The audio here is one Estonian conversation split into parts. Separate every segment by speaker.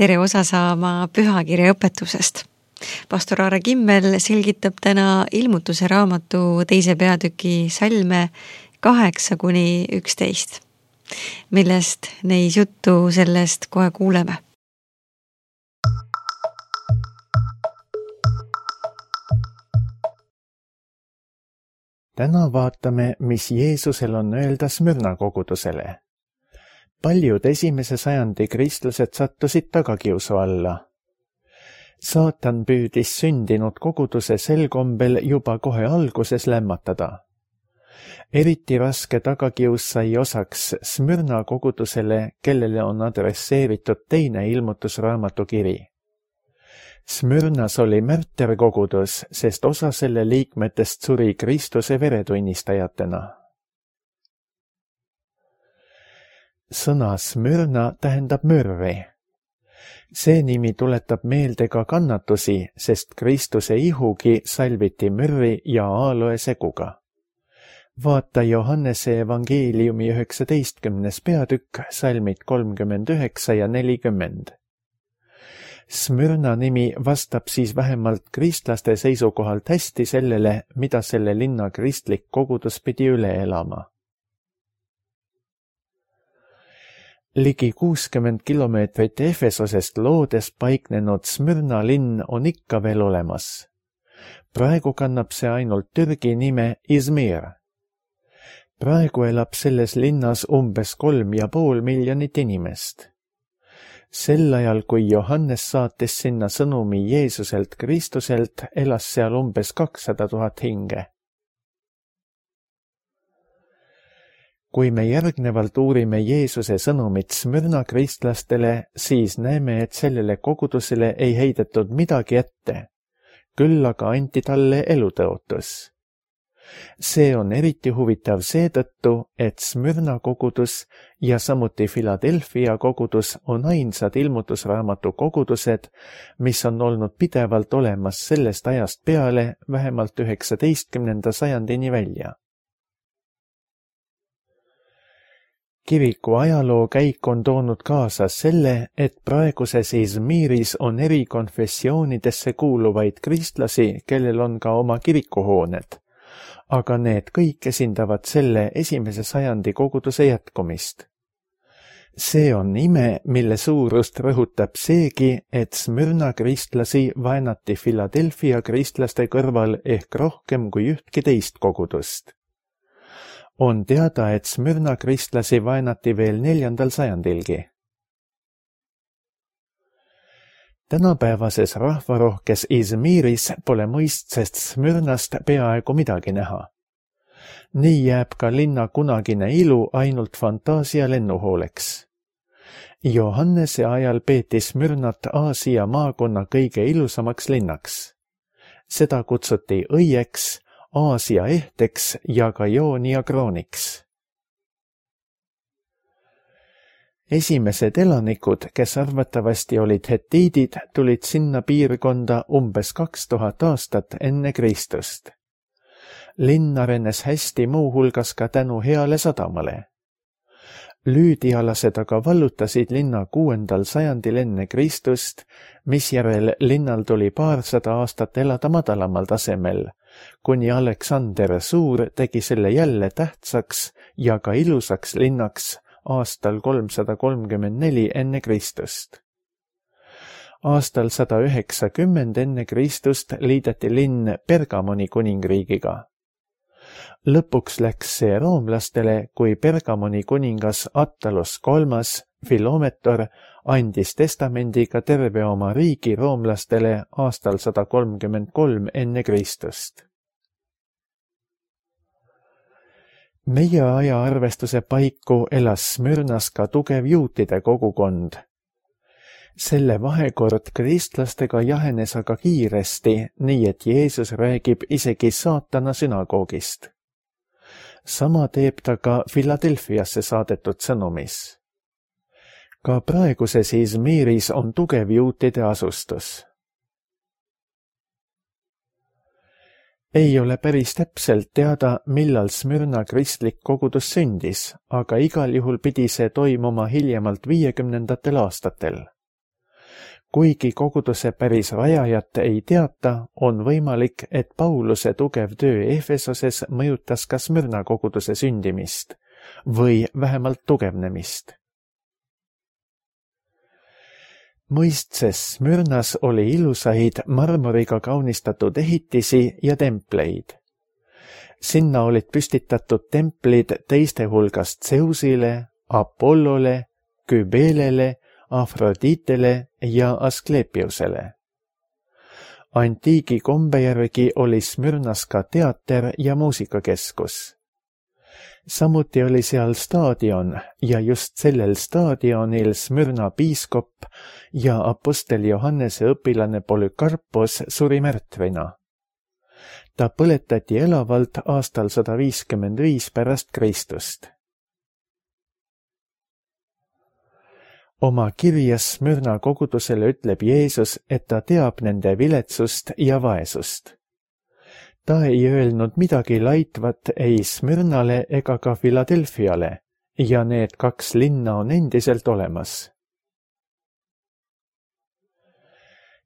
Speaker 1: tere osa saama pühakirja õpetusest. Pastor Aare Kimmel selgitab täna Ilmutuse raamatu 2. peatüki salme 8-11, millest neis juttu sellest kohe kuuleme.
Speaker 2: Täna vaatame, mis Jeesusel on öelda Smyrna kogudusele. Paljud esimese sajandi kristlased sattusid tagakiusu alla. Saatan püüdis sündinud koguduse sel kombel juba kohe alguses lämmatada. Eriti raske tagakius sai osaks Smyrna kogudusele, kellele on adresseeritud teine ilmutusraamatu kiri. Smyrnas oli märterkogudus, sest osa selle liikmetest suri Kristuse veretunnistajatena. Sõna Smyrna tähendab mürri. See nimi tuletab meelde ka kannatusi, sest Kristuse ihugi salviti mürri ja aaloe seguga. Vaata Johannese evangeeliumi 19. peatükk, salmid 39 ja 40. Smyrna nimi vastab siis vähemalt kristlaste seisukohalt hästi sellele, mida selle linna kristlik kogudus pidi üle elama. Ligi 60 kilomeetrit Efesosest loodes paiknenud Smyrna linn on ikka veel olemas. Praegu kannab see ainult Türgi nime Izmir. Praegu elab selles linnas umbes 3,5 miljonit inimest. Sel ajal, kui Johannes saatis sinna sõnumi Jeesuselt Kristuselt, elas seal umbes 200 000 hinge. Kui me järgnevalt uurime Jeesuse sõnumit Smyrna kristlastele, siis näeme, et sellele kogudusele ei heidetud midagi ette, küll aga anti talle elutõotus. See on eriti huvitav seetõttu, et Smyrna kogudus ja samuti Philadelphia kogudus on ainsad ilmutusraamatu kogudused, mis on olnud pidevalt olemas sellest ajast peale vähemalt 19. sajandini välja. Kiriku ajaloo käik on toonud kaasa selle, et praeguses Izmiris on eri konfessioonidesse kuuluvaid kristlasi, kellel on ka oma kirikuhooned, aga need kõik esindavad selle 1. sajandi koguduse jätkumist. See on ime, mille suurust rõhutab seegi, et Smyrna kristlasi vaenati Philadelphia kristlaste kõrval ehk rohkem kui ühtki teist kogudust. On teada, et Smyrna kristlasi vaenati veel 4. sajandilgi. Tänapäevases rahvarohkes Izmiris pole mõistsest Smyrnast peaaegu midagi näha. Nii jääb ka linna kunagine ilu ainult fantaasia lennuhooleks. Johannese ajal peeti Smyrnat Aasia maakonna kõige ilusamaks linnaks. Seda kutsuti õieks, Aasia ehteks ja ka Joonia krooniks. Esimesed elanikud, kes arvatavasti olid hetiidid, tulid sinna piirkonda umbes 2000 aastat enne Kristust. Linn arenes hästi muuhulgas ka tänu heale sadamale. Lüüdialased aga vallutasid linna 6. sajandil enne Kristust, misjärel linnal tuli 200 aastat elada madalamal tasemel, kuni Aleksander Suur tegi selle jälle tähtsaks ja ka ilusaks linnaks aastal 334 enne Kristust. Aastal 190 enne Kristust liideti linn Pergamoni kuningriigiga. Lõpuks läks see roomlastele, kui Pergamoni kuningas Attalos III, Filometor, andis testamendiga terve oma riigi roomlastele aastal 133 enne Kristust. Meie aja arvestuse paiku elas Smyrnas ka tugev juutide kogukond. Selle vahekord kristlastega jahenes aga kiiresti, nii et Jeesus räägib isegi saatana sünagoogist. Sama teeb ta ka Philadelphiasse saadetud sõnumis. Ka praeguses Izmiris on tugev juutide asustus. Ei ole päris täpselt teada, millal Smyrna kristlik kogudus sündis, aga igal juhul pidi see toimuma hiljemalt 50. aastatel. Kuigi koguduse päris rajajat ei teata, on võimalik, et Pauluse tugev töö Efesoses mõjutas ka Smyrna koguduse sündimist või vähemalt tugevnemist. Mõistses Smyrnas oli ilusaid marmoriga kaunistatud ehitisi ja templeid. Sinna olid püstitatud templid teiste hulgast Zeusile, Apollole, Kybelele, Afroditele ja Asklepiusele. Antiigi kombe järgi oli Smyrnas ka teater ja muusikakeskus. Samuti oli seal staadion ja just sellel staadionil Smyrna piiskop ja apostel Johannese õpilane Polükarpos suri märtvina. Ta põletati elavalt aastal 155 pärast Kristust. Oma kirjas Smyrna kogudusele ütleb Jeesus, et ta teab nende viletsust ja vaesust. Ta ei öelnud midagi laitvat ei Smyrnale ega ka Philadelphiale ja need 2 linna on endiselt olemas.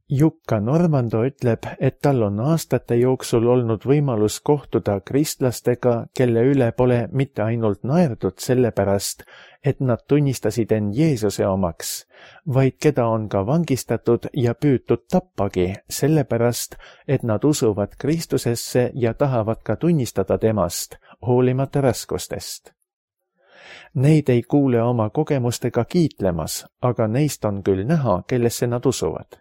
Speaker 2: Jukka Normando ütleb, et tal on aastate jooksul olnud võimalus kohtuda kristlastega, kelle üle pole mitte ainult naerdud sellepärast, et nad tunnistasid end Jeesuse omaks, vaid keda on ka vangistatud ja püütud tappagi sellepärast, et nad usuvad Kristusesse ja tahavad ka tunnistada temast, hoolimata raskustest. Neid ei kuule oma kogemustega kiitlemas, aga neist on küll näha, kellesse nad usuvad.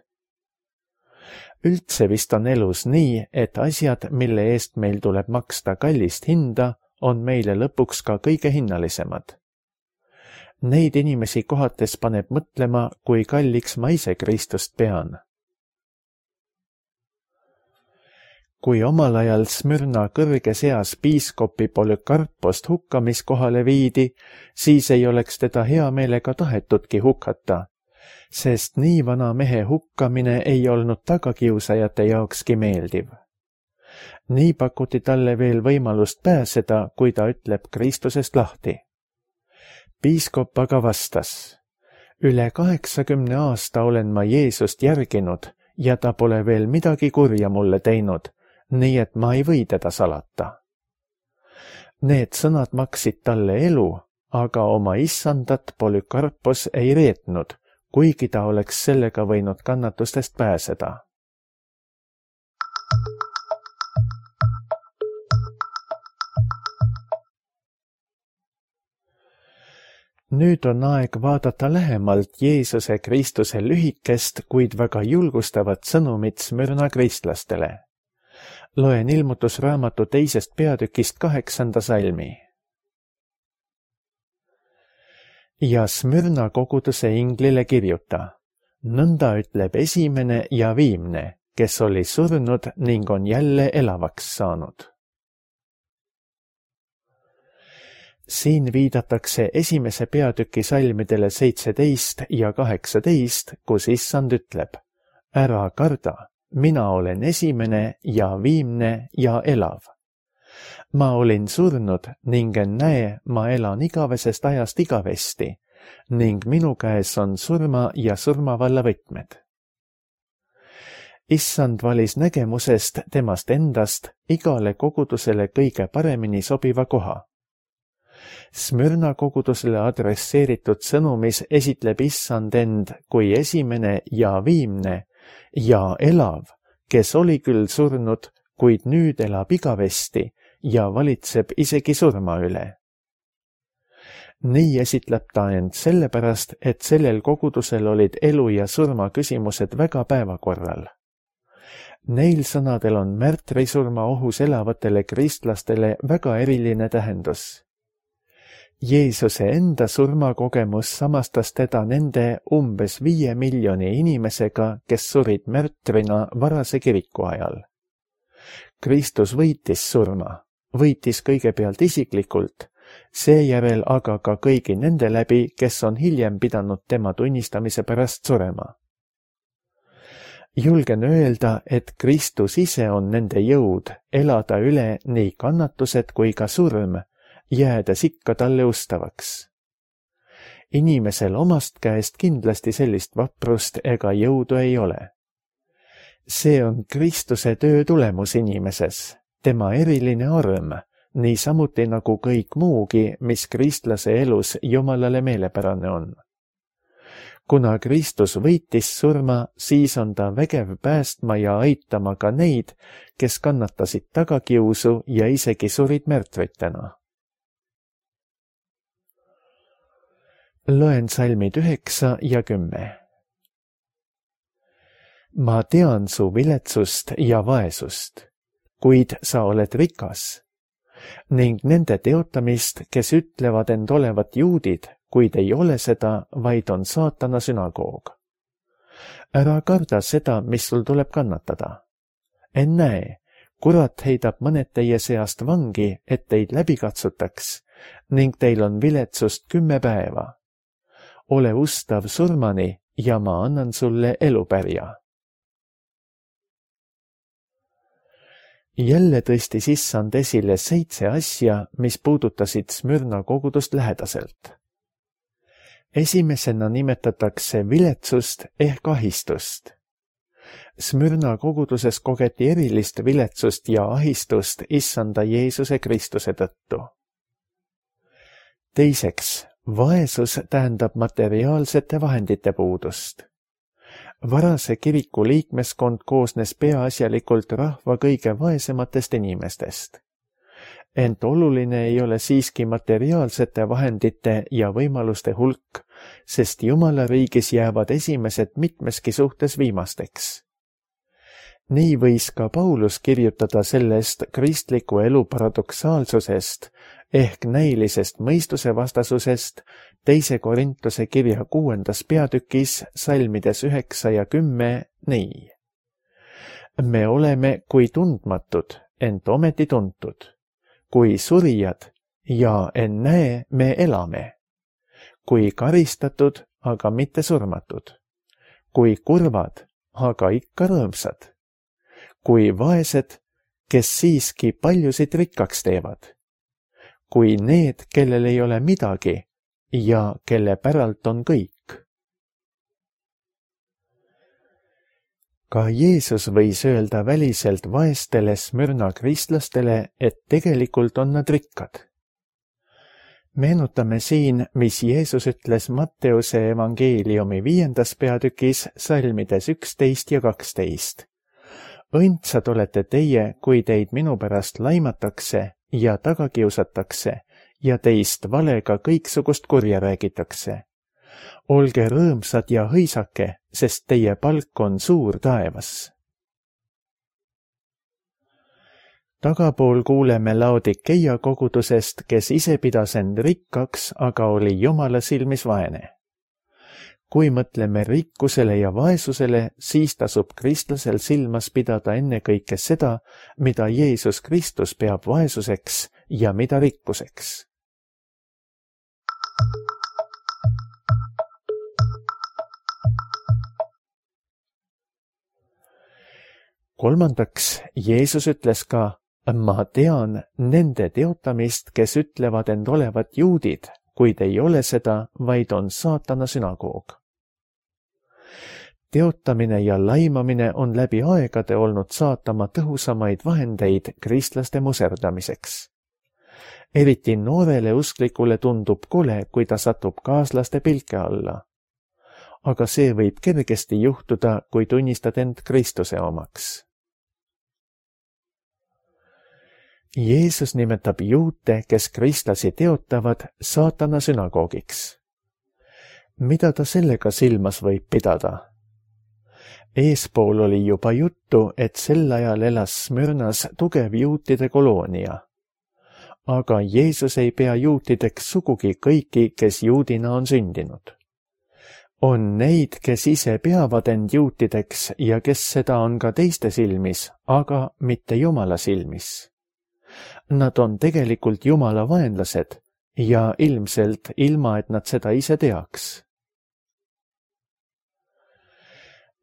Speaker 2: Üldse vist on elus nii, et asjad, mille eest meil tuleb maksta kallist hinda, on meile lõpuks ka kõige hinnalisemad. Neid inimesi kohates paneb mõtlema, kui kalliks ma ise Kristust pean. Kui omal ajal Smyrna kõrges eas piiskopi Polükarpost hukkamiskohale viidi, siis ei oleks teda hea meelega tahetudki hukata, sest nii vana mehe hukkamine ei olnud tagakiusajate jaokski meeldiv. Nii pakuti talle veel võimalust pääseda, kui ta ütleb Kristusest lahti. Piiskop aga vastas, üle 80 aasta olen ma Jeesust järginud ja ta pole veel midagi kurja mulle teinud, nii et ma ei või teda salata. Need sõnad maksid talle elu, aga oma issandat Polükarpos ei reetnud, kuigi ta oleks sellega võinud kannatustest pääseda. Nüüd on aeg vaadata lähemalt Jeesuse Kristuse lühikest, kuid väga julgustavat sõnumit Smyrna kristlastele. Loen ilmutusraamatu 2. peatükist 8. salmi. Ja Smyrna koguduse inglile kirjuta, nõnda ütleb esimene ja viimne, kes oli surnud ning on jälle elavaks saanud. Siin viidatakse 1. peatüki salmidele 17 ja 18, kus issand ütleb, ära karda, mina olen esimene ja viimne ja elav. Ma olin surnud ning näe, ma elan igavesest ajast igavesti ning minu käes on surma ja surmavalla võtmed. Issand valis nägemusest temast endast igale kogudusele kõige paremini sobiva koha. Smyrna kogudusele adresseeritud sõnumis esitleb issand end kui esimene ja viimne ja elav, kes oli küll surnud, kuid nüüd elab igavesti ja valitseb isegi surma üle. Nii esitleb ta end sellepärast, et sellel kogudusel olid elu ja surma küsimused väga päevakorral. Neil sõnadel on märtrisurma ohus elavatele kristlastele väga eriline tähendus. Jeesuse enda surmakogemus samastas teda nende umbes 5 miljoni inimesega, kes surid märtrina varase kiriku ajal. Kristus võitis surma, võitis kõigepealt isiklikult, seejärel aga ka kõigi nende läbi, kes on hiljem pidanud tema tunnistamise pärast surema. Julgen öelda, et Kristus ise on nende jõud elada üle nii kannatused kui ka surm, jäädes ikka talle ustavaks. Inimesel omast käest kindlasti sellist vaprust ega jõudu ei ole. See on Kristuse töö tulemus inimeses, tema eriline arm, niisamuti nagu kõik muugi, mis kristlase elus Jumalale meelepärane on. Kuna Kristus võitis surma, siis on ta vägev päästma ja aitama ka neid, kes kannatasid tagakiusu ja isegi surid märtritena. Loen salmid 9 ja 10. Ma tean su viletsust ja vaesust, kuid sa oled rikas, ning nende teotamist, kes ütlevad end olevat juudid, kuid ei ole seda, vaid on saatana sünagoog. Ära karda seda, mis sul tuleb kannatada. Ennäe, kurat heidab mõned teie seast vangi, et teid läbi katsutaks, ning teil on viletsust 10 päeva. Ole ustav surmani ja ma annan sulle elupärja. Jälle tõstis issand esile 7 asja, mis puudutasid Smyrna kogudust lähedaselt. Esimesena nimetatakse viletsust ehk ahistust. Smyrna koguduses kogeti erilist viletsust ja ahistust issanda Jeesuse Kristuse tõttu. Teiseks, vaesus tähendab materiaalsete vahendite puudust. Varase kiriku liikmeskond koosnes peaasjalikult rahva kõige vaesematest inimestest. Ent oluline ei ole siiski materiaalsete vahendite ja võimaluste hulk, sest Jumala riigis jäävad esimesed mitmeski suhtes viimasteks. Nii võis ka Paulus kirjutada sellest kristliku elu paradoksaalsusest ehk näilisest mõistusevastasusest 2. Korintuse kirja 6. peatükis salmides 9 ja 10 nii. Me oleme kui tundmatud, ent ometi tuntud, kui surijad ja ennäe me elame, kui karistatud, aga mitte surmatud, kui kurvad, aga ikka rõõmsad, kui vaesed, kes siiski paljusid rikkaks teevad, kui need, kellel ei ole midagi ja kelle päralt on kõik. Ka Jeesus võis öelda väliselt vaestele Smyrna kristlastele, et tegelikult on nad rikkad. Meenutame siin, mis Jeesus ütles Matteuse evangeeliumi 5. peatükis salmides 11 ja 12. Õndsad olete teie, kui teid minu pärast laimatakse ja taga kiusatakse ja teist valega kõiksugust kurja räägitakse. Olge rõõmsad ja hõisake, sest teie palk on suur taevas. Tagapool kuuleme Laodikeia kogudusest, kes ise pidas end rikkaks, aga oli Jumala silmis vaene. Kui mõtleme rikkusele ja vaesusele, siis tasub kristlasel silmas pidada ennekõike seda, mida Jeesus Kristus peab vaesuseks ja mida rikkuseks. Kolmandaks, Jeesus ütles ka, ma tean nende teotamist, kes ütlevad end olevat juudid, kuid ei ole seda, vaid on saatana sünagoog. Teotamine ja laimamine on läbi aegade olnud saatama tõhusamaid vahendeid kristlaste muserdamiseks. Eriti noorele usklikule tundub kole, kui ta satub kaaslaste pilke alla. Aga see võib kergesti juhtuda, kui tunnistad end Kristuse omaks. Jeesus nimetab juute, kes kristlasi teotavad, saatana sünagoogiks. Mida ta sellega silmas võib pidada? Eespool oli juba juttu, et sel ajal elas Smyrnas tugev juutide koloonia. Aga Jeesus ei pea juutideks sugugi kõiki, kes juudina on sündinud. On neid, kes ise peavad end juutideks ja kes seda on ka teiste silmis, aga mitte Jumala silmis. Nad on tegelikult Jumala vaenlased ja ilmselt ilma, et nad seda ise teaks.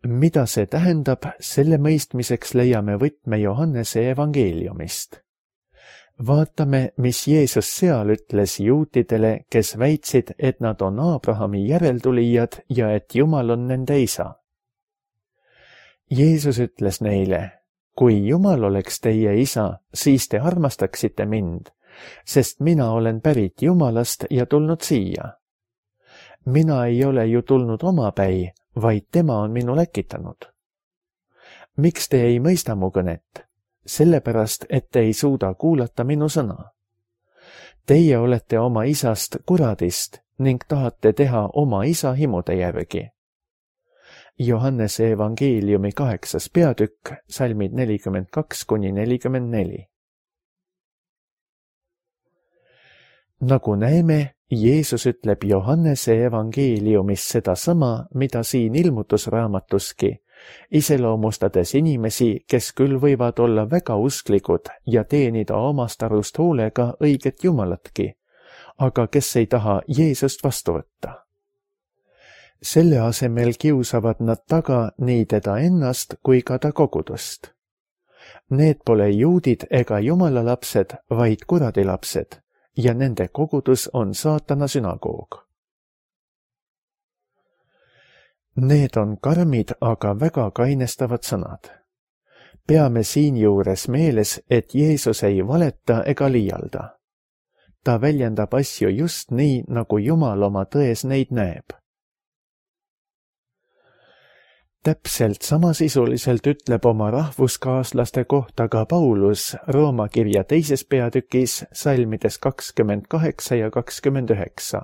Speaker 2: Mida see tähendab, selle mõistmiseks leiame võtme Johannese evangeeliumist. Vaatame, mis Jeesus seal ütles juutidele, kes väitsid, et nad on Abrahami järeltulijad ja et Jumal on nende isa. Jeesus ütles neile, kui Jumal oleks teie isa, siis te armastaksite mind, sest mina olen pärit Jumalast ja tulnud siia. Mina ei ole ju tulnud omapäi, vaid tema on minu läkitanud. Miks te ei mõista mu kõnet? Sellepärast, et te ei suuda kuulata minu sõna. Teie olete oma isast kuradist ning tahate teha oma isa himude järgi. Johannese evangeeliumi 8. peatükk, salmid 42–44. Nagu näeme, Jeesus ütleb Johannese evangeeliumis sedasama, mida siin ilmutusraamatuski, iseloomustades inimesi, kes küll võivad olla väga usklikud ja teenida omast arust hoolega õiget Jumalatki, aga kes ei taha Jeesust vastu võtta. Selle asemel kiusavad nad taga nii teda ennast kui ka ta kogudust. Need pole juudid ega Jumala lapsed, vaid kuradi lapsed, ja nende kogudus on saatana sünagoog. Need on karmid, aga väga kainestavad sõnad. Peame siinjuures meeles, et Jeesus ei valeta ega liialda. Ta väljendab asju just nii, nagu Jumal oma tões neid näeb. Täpselt samasisuliselt ütleb oma rahvuskaaslaste kohta ka Paulus Rooma kirja 2. peatükis salmides 28 ja 29.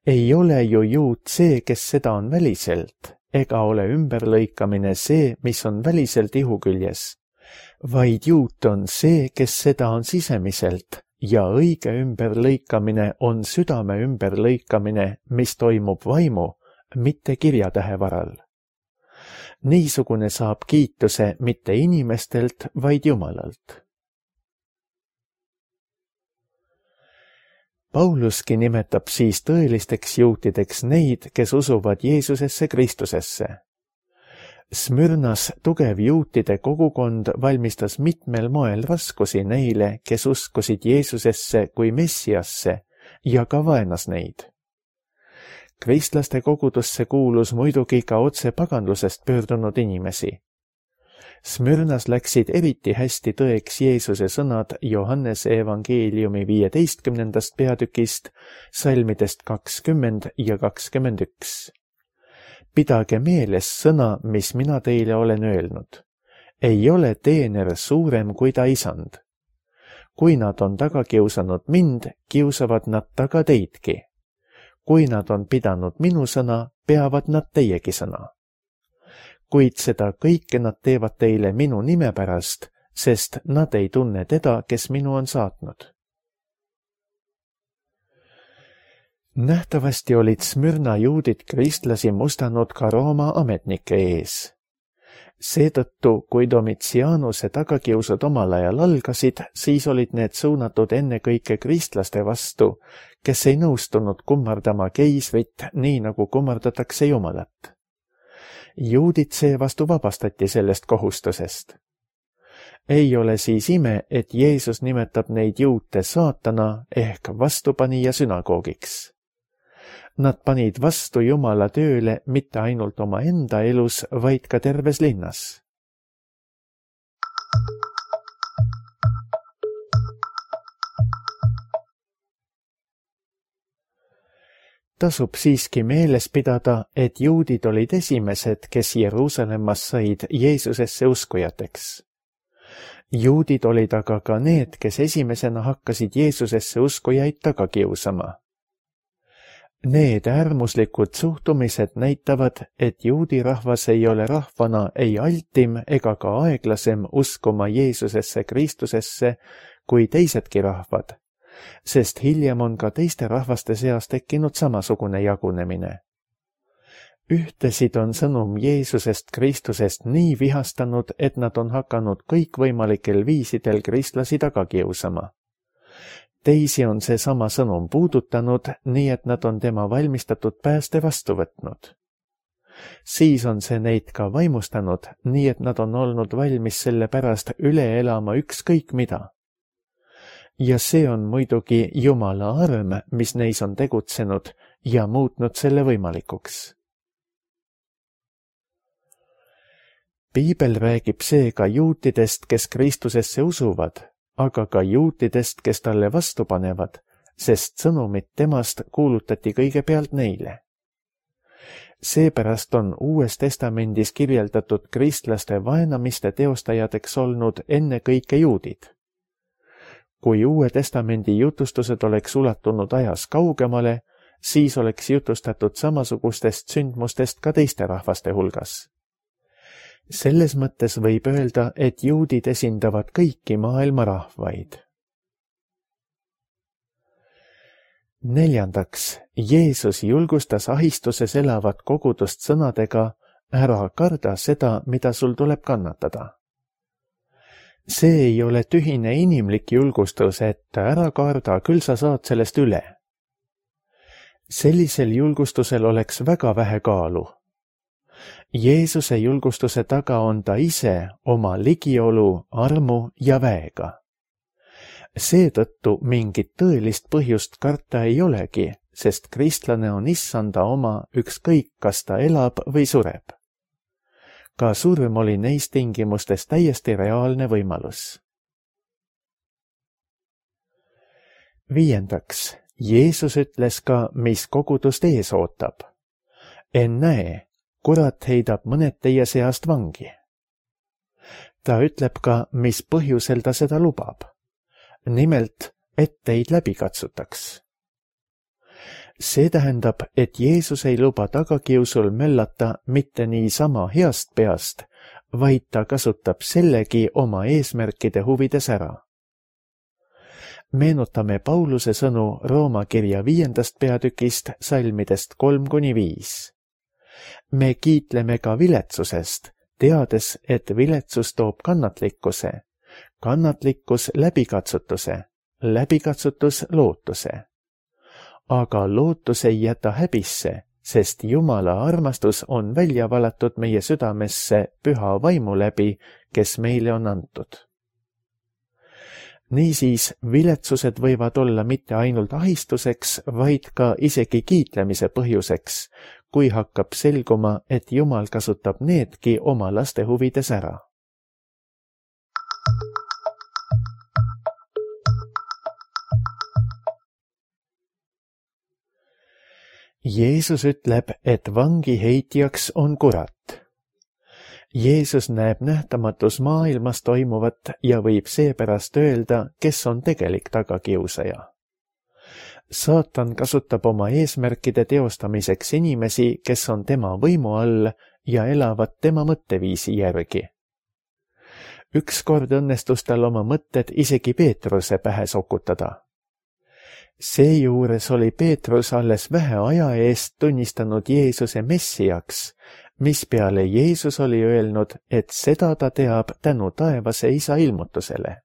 Speaker 2: Ei ole ju juut see, kes seda on väliselt, ega ole ümberlõikamine see, mis on väliselt ihu küljes, vaid juut on see, kes seda on sisemiselt, ja õige ümberlõikamine on südame ümberlõikamine, mis toimub vaimu, mitte kirjatähe varal. Niisugune saab kiituse mitte inimestelt, vaid Jumalalt. Pauluski nimetab siis tõelisteks juutideks neid, kes usuvad Jeesusesse Kristusesse. Smyrnas tugev juutide kogukond valmistas mitmel moel raskusi neile, kes uskusid Jeesusesse kui Messiasse ja ka vaenas neid. Kristlaste kogudusse kuulus muidugi ka otse paganlusest pöördunud inimesi. Smyrnas läksid eriti hästi tõeks Jeesuse sõnad Johannese evangeeliumi 15. peatükist, salmidest 20 ja 21. Pidage meeles sõna, mis mina teile olen öelnud. Ei ole teener suurem kui ta isand. Kui nad on taga kiusanud mind, kiusavad nad taga teidki. Kui nad on pidanud minu sõna, peavad nad teiegi sõna. Kuid seda kõike nad teevad teile minu nime pärast, sest nad ei tunne teda, kes minu on saatnud. Nähtavasti olid Smyrna juudid kristlasi mustanud ka Rooma ametnike ees. Seetõttu, kui Domitianuse tagakiusud omal ajal algasid, siis olid need suunatud ennekõike kristlaste vastu, kes ei nõustunud kummardama keisrit nii, nagu kummardatakse Jumalat. Juudid seevastu vabastati sellest kohustusest. Ei ole siis ime, et Jeesus nimetab neid juute saatana ehk vastupanija sünagoogiks. Nad panid vastu Jumala tööle mitte ainult oma enda elus, vaid ka terves linnas. Tasub siiski meeles pidada, et juudid olid esimesed, kes Jeruusalemmas said Jeesusesse uskujateks. Juudid olid aga ka need, kes esimesena hakkasid Jeesusesse uskujaid taga kiusama. Need äärmuslikud suhtumised näitavad, et juudi rahvas ei ole rahvana ei altim ega ka aeglasem uskuma Jeesusesse Kristusesse kui teisedki rahvad, sest hiljem on ka teiste rahvaste seas tekkinud samasugune jagunemine. Ühtesid on sõnum Jeesusest Kristusest nii vihastanud, et nad on hakanud kõikvõimalikel viisidel kristlasi taga kiusama. Teisi on see sama sõnum puudutanud, nii et nad on tema valmistatud pääste vastu võtnud. Siis on see neid ka vaimustanud, nii et nad on olnud valmis selle pärast üle elama ükskõik mida. ja see on muidugi Jumala arm, mis neis on tegutsenud ja muutnud selle võimalikuks. Piibel räägib seega juutidest, kes Kristusesse usuvad, aga ka juutidest, kes talle vastu panevad, sest sõnumit temast kuulutati kõigepealt neile. Seepärast on Uues Testamendis kirjeldatud kristlaste vaenamiste teostajateks olnud ennekõike juudid. Kui Uue Testamendi jutustused oleks ulatunud ajas kaugemale, siis oleks jutustatud samasugustest sündmustest ka teiste rahvaste hulgas. Selles mõttes võib öelda, et juudid esindavad kõiki maailma rahvaid. 4. Jeesus julgustas ahistuses elavat kogudust sõnadega: ära karda seda, mida sul tuleb kannatada. See ei ole tühine inimlik julgustus, et ära karda, küll sa saad sellest üle. Sellisel julgustusel oleks väga vähe kaalu. Jeesuse julgustuse taga on ta ise oma ligiolu, armu ja väega. Seetõttu mingit tõelist põhjust karta ei olegi, sest kristlane on issanda oma, ükskõik kas ta elab või sureb. Ka surm oli neis tingimustes täiesti reaalne võimalus. 5. Jeesus ütles ka, mis kogudust ees ootab. Ennäe, kurat heidab mõned teie seast vangi. Ta ütleb ka, mis põhjusel ta seda lubab. Nimelt, et teid läbi katsutaks. See tähendab, et Jeesus ei luba tagakiusul möllata mitte niisama heast peast, vaid ta kasutab sellegi oma eesmärkide huvides ära. Meenutame Pauluse sõnu Rooma kirja 5. peatükist salmidest 3-5. Me kiitleme ka viletsusest, teades, et viletsus toob kannatlikkuse, kannatlikkus läbikatsutuse, läbikatsutus lootuse. Aga lootus ei jäta häbisse, sest Jumala armastus on välja valatud meie südamesse püha vaimu läbi, kes meile on antud. Niisiis, viletsused võivad olla mitte ainult ahistuseks, vaid ka isegi kiitlemise põhjuseks, kui hakkab selguma, et Jumal kasutab needki oma laste huvides ära. Jeesus ütleb, et vangi heitjaks on kurat. Jeesus näeb nähtamatus maailmas toimuvat ja võib seepärast öelda, kes on tegelik tagakiusaja. Saatan kasutab oma eesmärkide teostamiseks inimesi, kes on tema võimu all ja elavad tema mõtteviisi järgi. Ükskord õnnestus tal oma mõtted isegi Peetruse pähe sokutada. Seejuures oli Peetrus alles vähe aja eest tunnistanud Jeesuse messiaks, mispeale Jeesus oli öelnud, et seda ta teab tänu taevase isa ilmutusele.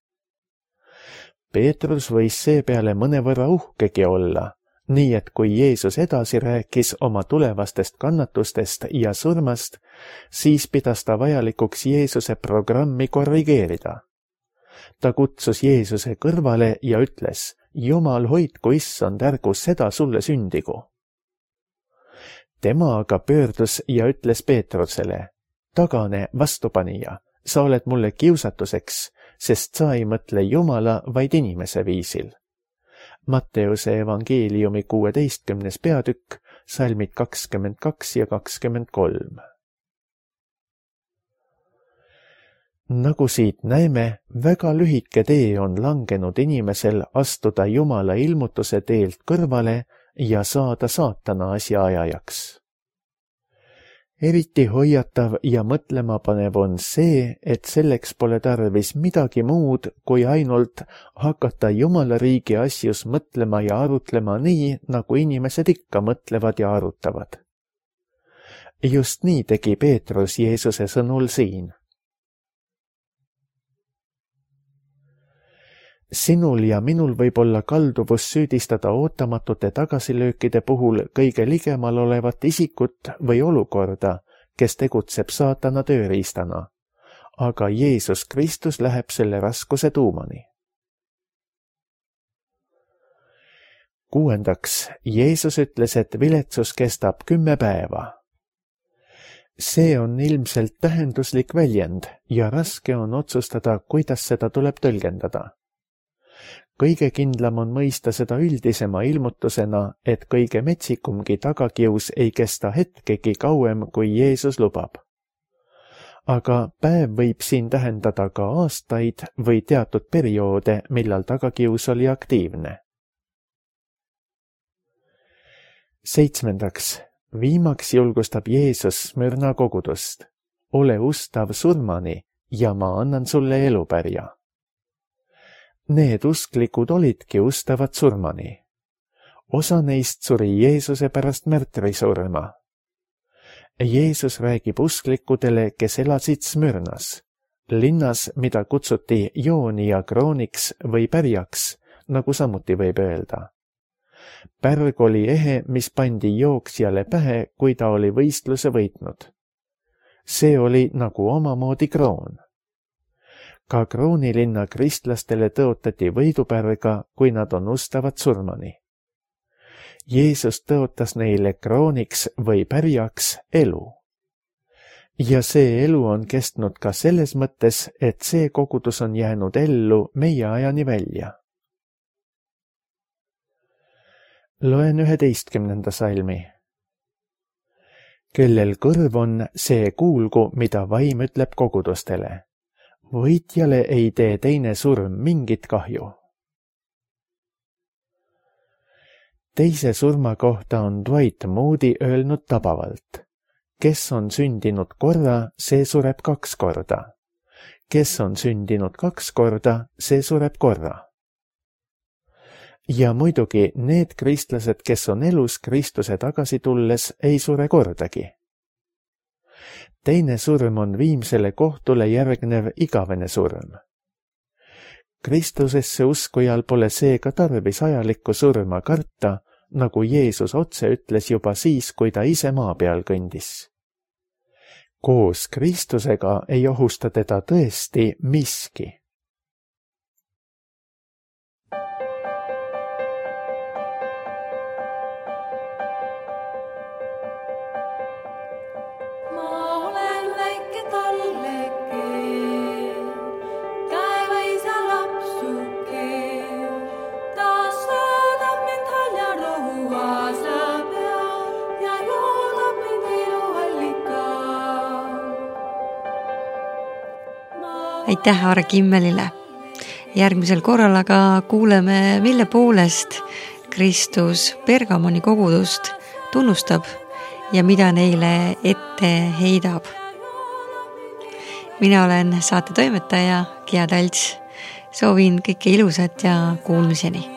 Speaker 2: Peetrus võis seepeale mõnevõrra uhkegi olla, nii et kui Jeesus edasi rääkis oma tulevastest kannatustest ja surmast, siis pidas ta vajalikuks Jeesuse programmi korrigeerida. Ta kutsus Jeesuse kõrvale ja ütles: Jumal hoidku, issand, ärgu seda sulle sündigu. Tema aga pöördus ja ütles Peetrusele: tagane, vastupanija, sa oled mulle kiusatuseks, sest sa ei mõtle Jumala, vaid inimese viisil. Matteuse evangeeliumi 16. peatükk, salmid 22 ja 23. Nagu siit näeme, väga lühike tee on langenud inimesel astuda Jumala ilmutuse teelt kõrvale ja saada saatana asjaajajaks. Eriti hoiatav ja mõtlema panev on see, et selleks pole tarvis midagi muud, kui ainult hakata Jumala riigi asjus mõtlema ja arutlema nii, nagu inimesed ikka mõtlevad ja arutavad. Just nii tegi Peetrus Jeesuse sõnul siin. Sinul ja minul võib olla kalduvus süüdistada ootamatute tagasilöökide puhul kõige ligemal olevat isikut või olukorda, kes tegutseb saatana tööriistana, aga Jeesus Kristus läheb selle raskuse tuumani. 6. Jeesus ütles, et viletsus kestab 10 päeva. See on ilmselt tähenduslik väljend ja raske on otsustada, kuidas seda tuleb tõlgendada. Kõige kindlam on mõista seda üldisema ilmutusena, et kõige metsikumgi tagakius ei kesta hetkegi kauem, kui Jeesus lubab. Aga päev võib siin tähendada ka aastaid või teatud perioode, millal tagakius oli aktiivne. 7. Viimaks julgustab Jeesus Smyrna kogudust. Ole ustav surmani ja ma annan sulle elupärja. Need usklikud olidki ustavad surmani. Osa neist suri Jeesuse pärast märtrisurma. Jeesus räägib usklikudele, kes elasid Smyrnas, linnas, mida kutsuti Joonia krooniks või pärjaks, nagu samuti võib öelda. Pärg oli ehe, mis pandi jooksjale pähe, kui ta oli võistluse võitnud. See oli nagu omamoodi kroon. Ka kroonilinna kristlastele tõotati võidupärga, kui nad on ustavad surmani. Jeesus tõotas neile krooniks või pärjaks elu. Ja see elu on kestnud ka selles mõttes, et see kogudus on jäänud ellu meie ajani välja. Loen 11. salmi. Kellel kõrv on, see kuulgu, mida vaim ütleb kogudustele. Võitjale ei tee teine surm mingit kahju. Teise surma kohta on Dwight Moody öelnud tabavalt. Kes on sündinud korra, see sureb 2 korda. Kes on sündinud 2 korda, see sureb korra. Ja muidugi need kristlased, kes on elus Kristuse tagasi tulles, ei sure kordagi. Teine surm on viimsele kohtule järgnev igavene surm. Kristusesse uskujal pole seega tarvis ajalikku surma karta, nagu Jeesus otse ütles juba siis, kui ta ise maa peal kõndis. Koos Kristusega ei ohusta teda tõesti miski.
Speaker 1: Aitäh Aare Kimmelile. Järgmisel korral aga kuuleme, mille poolest Kristus Pergamoni kogudust tunnustab ja mida neile ette heidab. Mina olen saate toimetaja Gea Talts. Soovin kõike ilusat ja kuulmiseni.